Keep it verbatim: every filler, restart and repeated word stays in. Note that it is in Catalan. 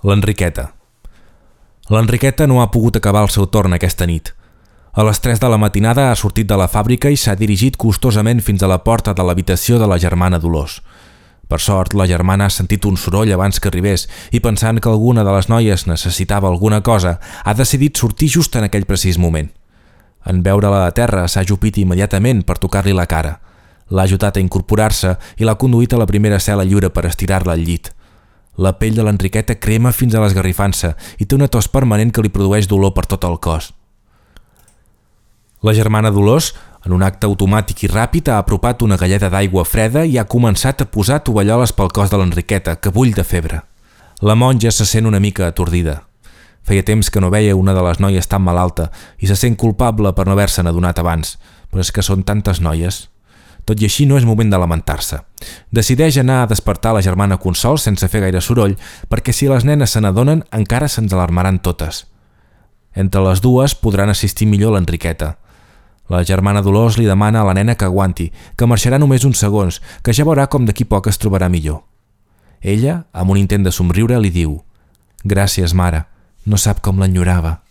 L'Enriqueta. L'Enriqueta no ha pogut acabar el seu torn aquesta nit. A les tres de la matinada ha sortit de la fàbrica i s'ha dirigit costosament fins a la porta de l'habitació de la germana Dolors. Per sort, la germana ha sentit un soroll abans que arribés i, pensant que alguna de les noies necessitava alguna cosa, ha decidit sortir just en aquell precís moment. En veure-la a terra, s'ha ajupit immediatament per tocar-li la cara. L'ha ajudat a incorporar-se i l'ha conduït a la primera cel·la lliure per estirar-la al llit. La pell de l'Enriqueta crema fins a l'esgarrifança i té una tos permanent que li produeix dolor per tot el cos. La germana Dolors, en un acte automàtic i ràpid, ha apropat una galleda d'aigua freda i ha començat a posar tovalloles pel cos de l'Enriqueta, que bull de febre. La monja se sent una mica atordida. Feia temps que no veia una de les noies tan malalta i se sent culpable per no haver-se'n adonat abans, però és que són tantes noies. Tot i així no és moment de lamentar-se. Decideix anar a despertar la germana Consol sense fer gaire soroll, perquè si les nenes se n'adonen encara se'ns alarmaran totes. Entre les dues podran assistir millor l'Enriqueta. La germana Dolors li demana a la nena que aguanti, que marxarà només uns segons, que ja veurà com d'aquí poc es trobarà millor. Ella, amb un intent de somriure, li diu: «Gràcies, mare, no sap com l'enyorava».